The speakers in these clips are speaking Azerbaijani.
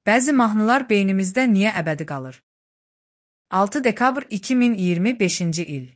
Bəzi mahnılar beynimizdə niyə əbədi qalır? 6 dekabr 2025-ci il.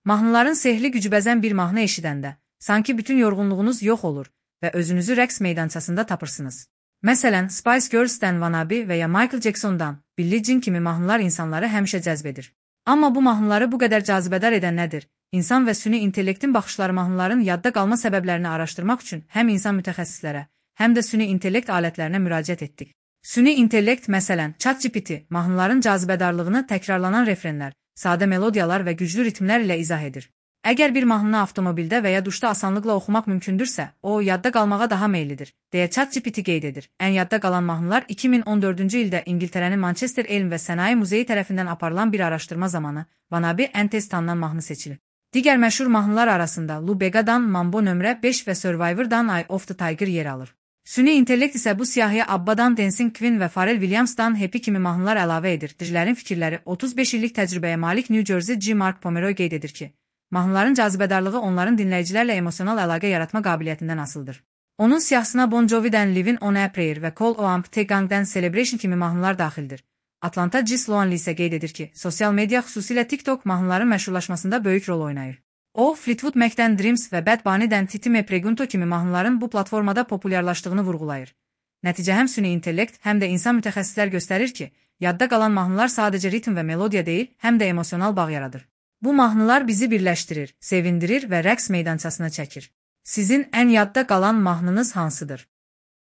Mahnıların sehli gücü bəzən bir mahnı eşidəndə, sanki bütün yorğunluğunuz yox olur və özünüzü rəqs meydançasında tapırsınız. Məsələn, Spice Girls'dən Wannabe və ya Michael Jackson'dan Billie Jean kimi mahnılar insanları həmişə cəzb edir. Amma bu mahnıları bu qədər cazibədar edən nədir? İnsan və süni intellektin baxışları mahnıların yadda qalma səbəblərini araşdırmaq üçün həm insan mütəxəssislərə, həm də süni intellekt alətlərinə müraciət etdik. Süni intellekt, məsələn, ChatGPT, mahnıların cazibədarlığını təkrarlanan refrenlər, sadə melodiyalar və güclü ritmlər ilə izah edir. Əgər bir mahnını avtomobildə və ya duşda asanlıqla oxumaq mümkündürsə, o yadda qalmağa daha meyillidir, deyə ChatGPT qeyd edir. Ən yadda qalan mahnılar 2014-cü ildə İngiltərənin Manchester Elm və Sənaye Muzeyi tərəfindən aparılan bir araşdırma zamanı Wannabe ən tez tanınan mahnı seçilib. Digər məşhur mahnılar arasında Lou Bega'dan Mambo nömrə 5 və Survivor'dan Eye of the Tiger yer alır. Süni intellekt isə bu siyahıya Abba'dan Dancing Queen və Pharrell Williams'dan Happy kimi mahnılar əlavə edir. Dirilərin fikirləri 35 illik təcrübəyə malik New Jersey G. Mark Pomeroy qeyd edir ki, mahnıların cazibədarlığı onların dinləyicilərlə emosional əlaqə yaratma qabiliyyətindən asılıdır. Onun siyahısına Bon Jovi'dən Livin' on a Prayer və Cole Oamptegang'dən Celebration kimi mahnılar daxildir. Atlanta G. Sloanli isə qeyd edir ki, sosial media, xüsusilə TikTok mahnıların məşhurlaşmasında böyük rol oynayır. O, Fleetwood Mac'dən Dreams və Bad Bunny'dən Titi Me Pregunto kimi mahnıların bu platformada populyarlaşdığını vurğulayır. Nəticə həm süni intellekt, həm də insan mütəxəssislər göstərir ki, yadda qalan mahnılar sadəcə ritm və melodiya deyil, həm də emosional bağ yaradır. Bu mahnılar bizi birləşdirir, sevindirir və rəqs meydançasına çəkir. Sizin ən yadda qalan mahnınız hansıdır?